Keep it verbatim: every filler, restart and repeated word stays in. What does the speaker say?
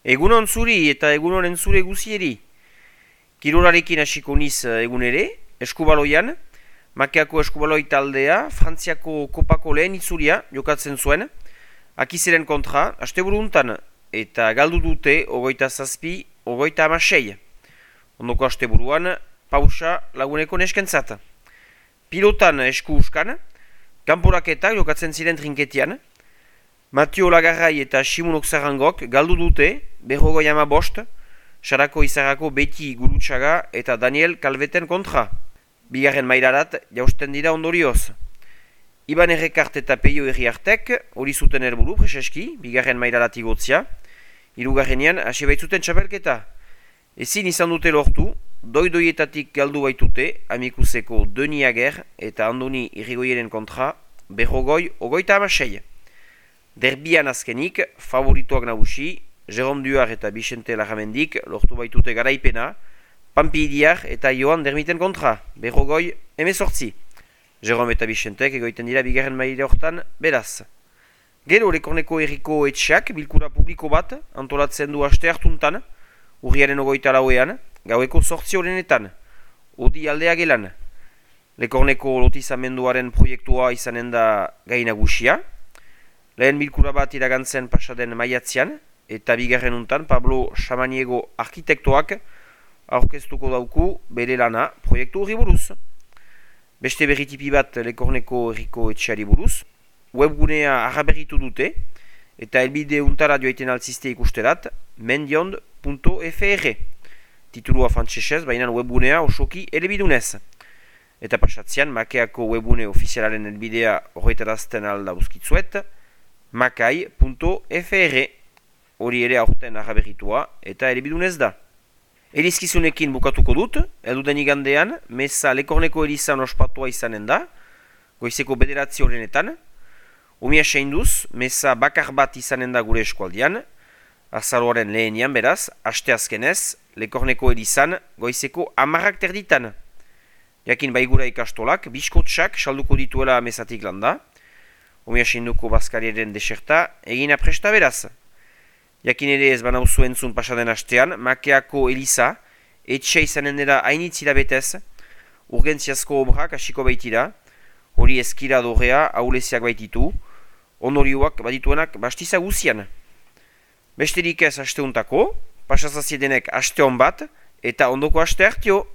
Egunon zuri eta egunoren zure guzieri. Kirolarekin hasiko niz egun ere, eskubaloian, Makeako eskubaloi taldea, Frantziako kopako lehen itzulia jokatzen zuen, akizeren kontra, asteburu untan, eta galdu dute ogoita zazpi, ogoita amasei. Ondoko asteburuan, pausa laguneko neskentzat. Pilotan esku uskan, kanporaketak jokatzen ziren trinketian, Matio Lagarrai eta Simonok Zarrangok galdu dute, berrogoi ama bost, Sarako Izarrako Beti Gurutxaga eta Daniel Kalveten kontra. Bigarren mailarat jausten dira ondorioz. Iban Errekart eta Peio Herriartek hori zuten helburu preseski, bigarren mailarat igotzia, hirugarrenean hasi baitzuten txapelketa. Ezin izan dute lortu, doi-doietatik galdu baitute, Amikuseko Deni Ager eta Andoni Irrigoieren kontra, berrogoi ogoita amasei. Derbian azkenik, favorituak nagusi, Jerome Duar eta Bixente Larramendik lortu baitute garaipena, Pampi Idiar eta Joan Dermiten kontra, berrogoi emezortzi. Jerome eta Bixentek egoiten dira bigarren maila hortan beraz. Gero Lekorneko herriko etxeak bilkura publiko bat antolatzen du aste hartuntan, urriaren ogoita lauean, gaueko sortzi horrenetan, odi aldea gelan. Lekorneko lotizamenduaren proiektua izanen da gai nagusia. Lehen bilkura bat iragantzen pasaden maiatzean, eta bigarren untan Pablo Samaniego arkitektoak aurkeztuko dauku bere lana proiektu horri buruz. Beste berritipi bat Lekorneko herriko etxeari buruz, webgunea arraberritu dute, eta helbide untara joaiten altziste ikusterat, mendiond punto fr. Titulua frantsesez, baina webgunea osoki elebidunez. Eta pasatzean, Makeako webgune ofizialaren helbidea horretarazten alda uzkitzuet, makai punto fr. Hori ere aurten arraberritua eta elebidunez da. Erizkizunekin bukatuko dut, elduden igandean, meza Lekorneko erizan ospatua izanen da, goizeko bederatzi horrenetan, umia seinduz, meza bakar bat izanen da gure eskualdian, azaroaren lehenian beraz, aste azkenez, Lekorneko erizan, goizeko amarrak terditan. Jakin baigura ikastolak, biskotsak salduko dituela mezatik landa, umia seinduko bazkariaren deserta, egina presta beraz. Jakin ere ez banauzu entzun pasaden astean, Makeako eliza, etxe izanen dira hainitzira betez, urgentziazko obrak hasiko baitira, hori eskira dorea auleziak baititu, ondorioak badituenak bastiza guzian. Besterik ez asteuntako, pasazaziedenek aste hon bat, eta ondoko aste hartio.